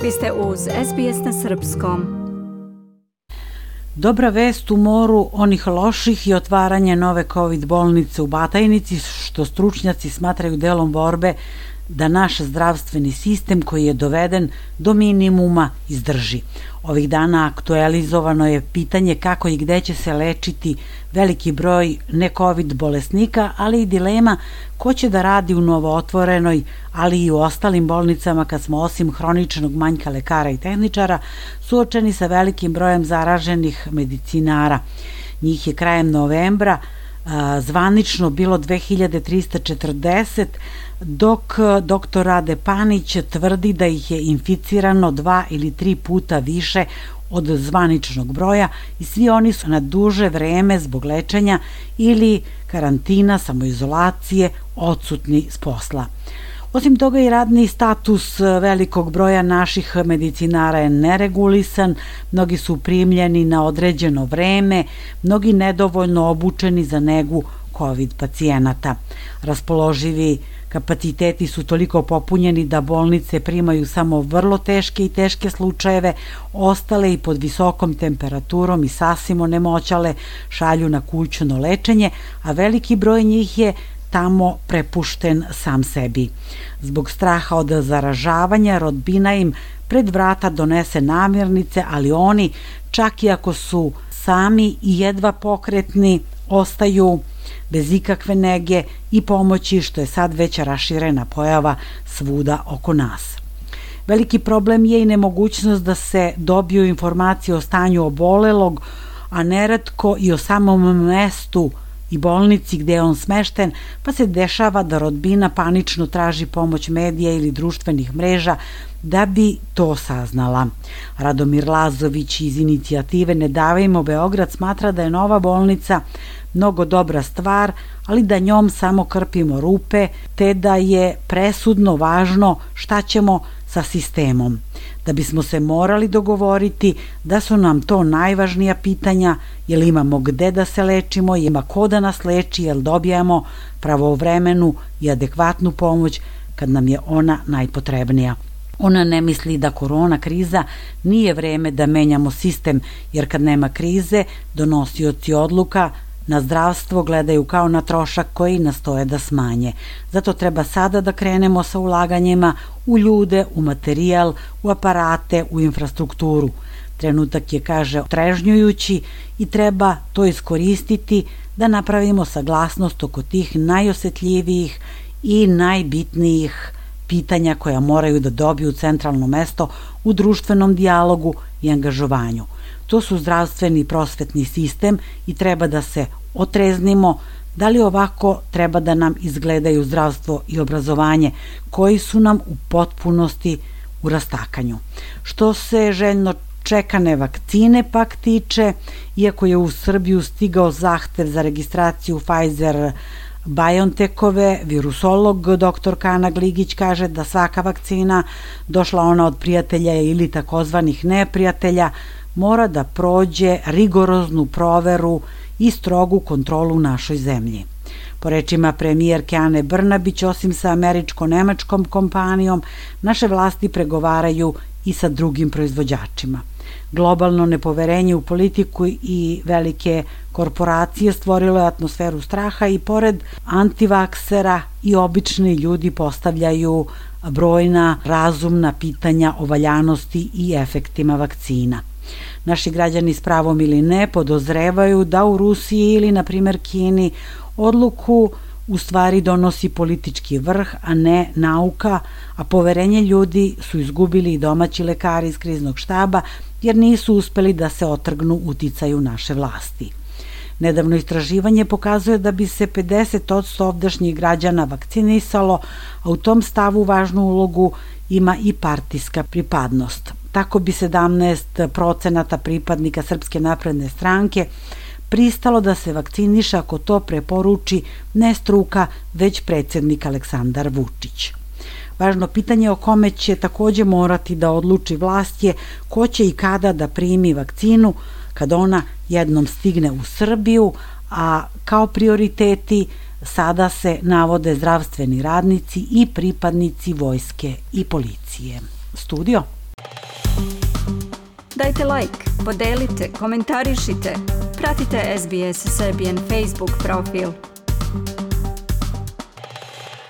Vi ste uz SBS na srpskom. Dobra vest u moru onih loših i otvaranje nove COVID bolnice u Batajnici, što stručnjaci smatraju delom borbe da naš zdravstveni sistem koji je doveden do minimuma izdrži. Ovih dana aktualizovano je pitanje kako i gde će se lečiti veliki broj ne-COVID bolesnika, ali i dilema ko će da radi u novootvorenoj, ali i u ostalim bolnicama kad smo osim hroničnog manjka lekara i tehničara suočeni sa velikim brojem zaraženih medicinara. Njih je krajem novembra zvanično bilo 2340, dok dr. Rade Panić tvrdi da ih je inficirano 2 ili 3 puta više od zvaničnog broja i svi oni su na duže vreme zbog lečenja ili karantina, samoizolacije, odsutni s posla. Osim toga i radni status velikog broja naših medicinara je neregulisan, mnogi su primljeni na određeno vreme, mnogi nedovoljno obučeni za negu COVID pacijenata. Raspoloživi kapaciteti su toliko popunjeni da bolnice primaju samo vrlo teške i teške slučajeve, ostale i pod visokom temperaturom i sasvim onemoćale šalju na kućno lečenje, a veliki broj njih je tamo prepušten sam sebi. Zbog straha od zaražavanja, rodbina im pred vrata donese namirnice, ali oni, čak i ako su sami i jedva pokretni, ostaju bez ikakve nege i pomoći, što je sad već raširena pojava svuda oko nas. Veliki problem je i nemogućnost da se dobiju informacije o stanju obolelog, a neretko i o samom mestu i bolnici gde je on smešten, pa se dešava da rodbina panično traži pomoć medija ili društvenih mreža da bi to saznala. Radomir Lazović iz inicijative Ne davimo Beograd smatra da je nova bolnica mnogo dobra stvar, ali da njom samo krpimo rupe, te da je presudno važno šta ćemo sa sistemom. Da bismo se morali dogovoriti da su nam to najvažnija pitanja, jel imamo gde da se lečimo, ima ko da nas leči, jel dobijamo pravovremenu i adekvatnu pomoć kad nam je ona najpotrebnija. Ona ne misli da korona kriza nije vreme da menjamo sistem, jer kad nema krize, donosioci odluka na zdravstvo gledaju kao na trošak koji nastoje da smanje. Zato treba sada da krenemo sa ulaganjima u ljude, u materijal, u aparate, u infrastrukturu. Trenutak je, kaže, otrežnjujući i treba to iskoristiti da napravimo saglasnost oko tih najosetljivijih i najbitnijih pitanja koja moraju da dobiju centralno mesto u društvenom dijalogu i angažovanju. To su zdravstveni i prosvetni sistem i treba da se otreznimo da li ovako treba da nam izgledaju zdravstvo i obrazovanje koji su nam u potpunosti u rastakanju. Što se željno čekane vakcine pak tiče, iako je u Srbiju stigao zahtev za registraciju Pfizer BioNTechove, virusolog dr. Kana Gligić kaže da svaka vakcina, došla ona od prijatelja ili takozvanih neprijatelja, mora da prođe rigoroznu proveru i strogu kontrolu u našoj zemlji. Po rečima premijerke Ane Brnabić, osim sa američko-nemačkom kompanijom, naše vlasti pregovaraju i sa drugim proizvođačima. Globalno nepoverenje u politiku i velike korporacije stvorilo je atmosferu straha i pored antivaksera i obični ljudi postavljaju brojna razumna pitanja o valjanosti i efektima vakcina. Naši građani s pravom ili ne podozrevaju da u Rusiji ili, na primjer, Kini odluku u stvari donosi politički vrh, a ne nauka, a poverenje ljudi su izgubili i domaći lekari iz kriznog štaba jer nisu uspeli da se otrgnu uticaju naše vlasti. Nedavno istraživanje pokazuje da bi se 50% ovdašnjih građana vakcinisalo, a u tom stavu važnu ulogu ima i partijska pripadnost. Tako bi 17% pripadnika Srpske napredne stranke pristalo da se vakciniše ako to preporuči ne struka, već predsjednik Aleksandar Vučić. Važno pitanje o kome će takođe morati da odluči vlast je ko će i kada da primi vakcinu kad ona jednom stigne u Srbiju, a kao prioriteti sada se navode zdravstveni radnici i pripadnici vojske i policije. Studio. Dajte like, podelite, komentarišite. Pratite SBS Serbian Facebook profil.